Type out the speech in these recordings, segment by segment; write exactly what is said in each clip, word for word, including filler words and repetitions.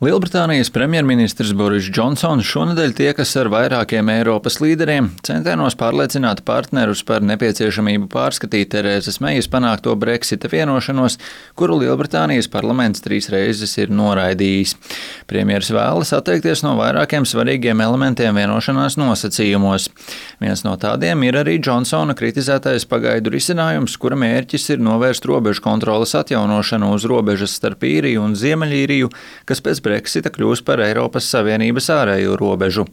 Lielbritānijas premjerministrs Boris Džonsons šonedēļ tiekas ar vairākiem Eiropas līderiem, centienos pārliecināt partnerus par nepieciešamību pārskatīt Terēzes Meijas panākto Brexita vienošanos, kuru Lielbritānijas parlaments trīs reizes ir noraidījis. Premjers vēlas atteikties no vairākiem svarīgiem elementiem vienošanās nosacījumos. Viens no tādiem ir arī Džonsona kritizētais pagaidu risinājums, kura mērķis ir novērst robežu kontroles atjaunošanu uz robežas starp Īriju un Ziemeļīriju, kas pēc Brexita kļūs par Eiropas Savienības ārējo robežu.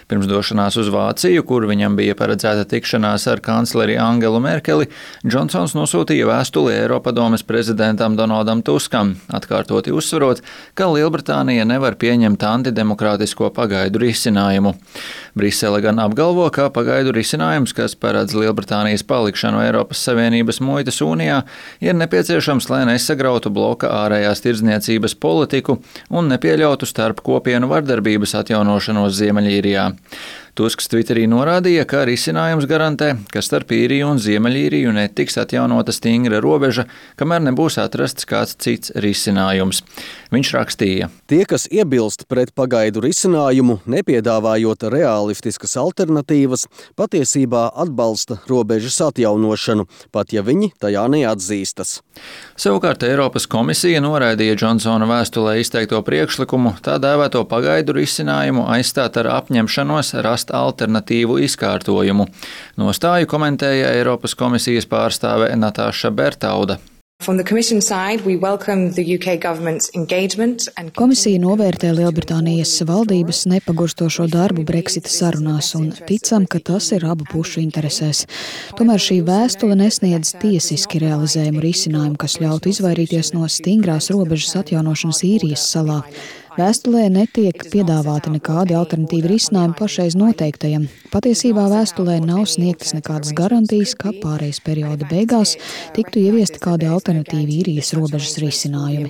Pirms došanās uz Vāciju, kur viņam bija paredzēta tikšanās ar kancleri Angelu Merkeli, Džonsons nosūtīja vēstuli Eiropadomes prezidentam Donaldam Tuskam, atkārtoti uzsverot, ka Lielbritānija nevar pieņemt antidemokrātisko pagaidu risinājumu. Brisele gan apgalvo, ka pagaidu risinājums, kas paredz Lielbritānijas palikšanu Eiropas Savienības muitas unijā, ir nepieciešams, lai nesagrautu bloka ārējās tirdzniecības politiku un nepieļautu starp kopienu vardarbības atjaunošanos Ziemeļīrijā. Tusks Twitterī norādīja, ka risinājums garantē, ka starp Īriju un Ziemeļīriju netiks atjaunota stingra robeža, kamēr nebūs atrasts kāds cits risinājums. Viņš rakstīja: Tie, kas iebilst pret pagaidu risinājumu, nepiedāvājot realistiskas alternatīvas, patiesībā atbalsta robežas atjaunošanu, pat ja viņi tajā neatzīstas. Savukārt Eiropas komisija noraidīja Džonsona vēstulē izteikto priekšlikumu tā dēvēto pagaidu risinājumu aizstāt ar apņemšanos rast alternatīvu izkārtojumu. Nostāju komentēja Eiropas komisijas pārstāve Natāša Bertauda. Komisija novērtē Lielbritānijas valdības nepagurstošo darbu Brexita sarunās un ticam, ka tas ir abu pušu interesēs. Tomēr šī vēstule nesniedz tiesiski realizējumu risinājumu, kas ļautu izvairīties no stingrās robežas atjaunošanas Īrijas salā. Vēstulē netiek piedāvāti nekādi alternatīvi risinājumi pašreiz noteiktajam. Patiesībā vēstulē nav sniegtas nekādas garantijas, ka pārejas perioda beigās tiktu ieviesti kādi alternatīvi Īrijas robežas risinājumi.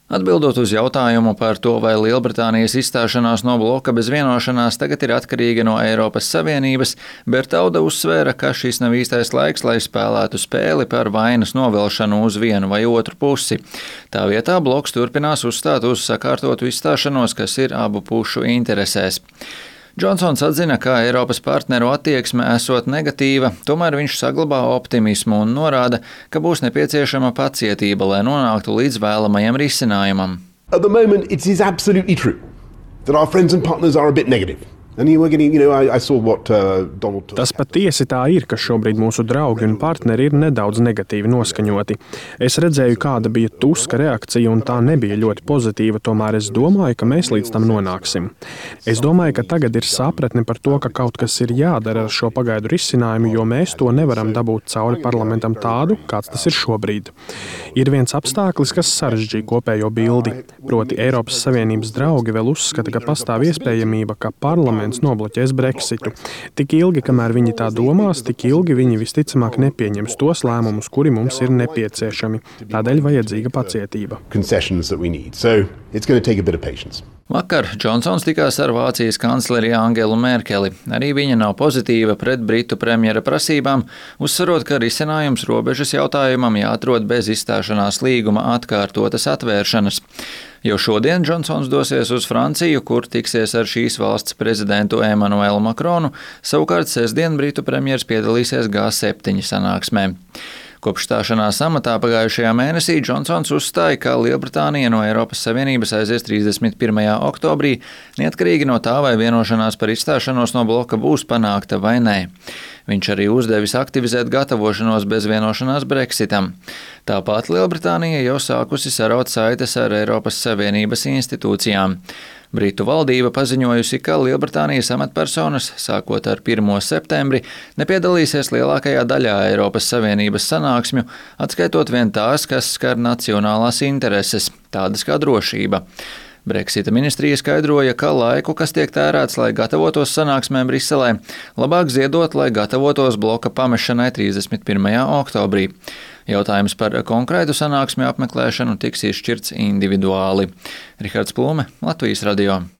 Atbildot uz jautājumu par to, vai Lielbritānijas izstāšanās no bloka bez vienošanās tagad ir atkarīga no Eiropas Savienības, Bertauda uzsvēra, ka šis nav īstais laiks, lai spēlētu spēli par vainas novelšanu uz vienu vai otru pusi. Tā vietā bloks turpinās uzstāt uz sakārtotu izstāšanos, kas ir abu pušu interesēs. Džonsons atzina, ka Eiropas partneru attieksme esot negatīva, tomēr viņš saglabā optimismu un norāda, ka būs nepieciešama pacietība, lai nonāktu līdz vēlamajam risinājumam. At the moment, it is absolutely true that our friends and partners are a bit negative. Tas patiesi tā ir, ka šobrīd mūsu draugi un partneri ir nedaudz negatīvi noskaņoti. Es redzēju, kāda bija Tuska reakcija, un tā nebija ļoti pozitīva, tomēr es domāju, ka mēs līdz tam nonāksim. Es domāju, ka tagad ir sapratne par to, ka kaut kas ir jādara ar šo pagaidu risinājumu, jo mēs to nevaram dabūt cauri parlamentam tādu, kāds tas ir šobrīd. Ir viens apstākļis, kas sarežģīja kopējo bildi, proti Eiropas Savienības draugi vēl uzskata, ka pastāv iespējamība, ka parlaments nobloķēs Brexitu. Tik ilgi, kamēr viņi tā domās, tik ilgi viņi visticamāk nepieņems tos lēmumus, kuri mums ir nepieciešami. Tādēļ vajadzīga pacietība. Vakar Džonsons tikās ar Vācijas kancleri Angelu Merkeli. Arī viņa nav pozitīva pret britu premjera prasībām, uzsverot, ka risinājums robežas jautājumam jāatrod bez izstāšanās līguma atkārtotas atvēršanas. Jau šodien Džonsons dosies uz Franciju, kur tiksies ar šīs valsts prezidentu Emanuelu Makronu, savukārt sestdien britu premjers piedalīsies G septiņi sanāksmē. Kopš stāšanās amatā pagājušajā mēnesī Džonsons uzstāja, ka Lielbritānija no Eiropas Savienības aizies trīsdesmit pirmajā oktobrī, neatkarīgi no tā, vai vienošanās par izstāšanos no bloka būs panākta vai nē. Viņš arī uzdevis aktivizēt gatavošanos bez vienošanās Brexitam. Tāpat Lielbritānija jau sākusi saraut saites ar Eiropas Savienības institūcijām. Britu valdība paziņojusi, ka Lielbritānijas amatpersonas, sākot ar pirmo septembri, nepiedalīsies lielākajā daļā Eiropas Savienības sanāksmju, atskaitot vien tās, kas skar nacionālās intereses, tādas kā drošība. Brexita ministrija skaidroja, ka laiku, kas tiek tērēts, lai gatavotos sanāksmēm Briselē, labāk ziedot, lai gatavotos bloka pamešanai trīsdesmit pirmajā oktobrī. Jautājums par konkrētu sanāksmju apmeklēšanu tiks izšķirts individuāli. Rihards Plūme, Latvijas radio.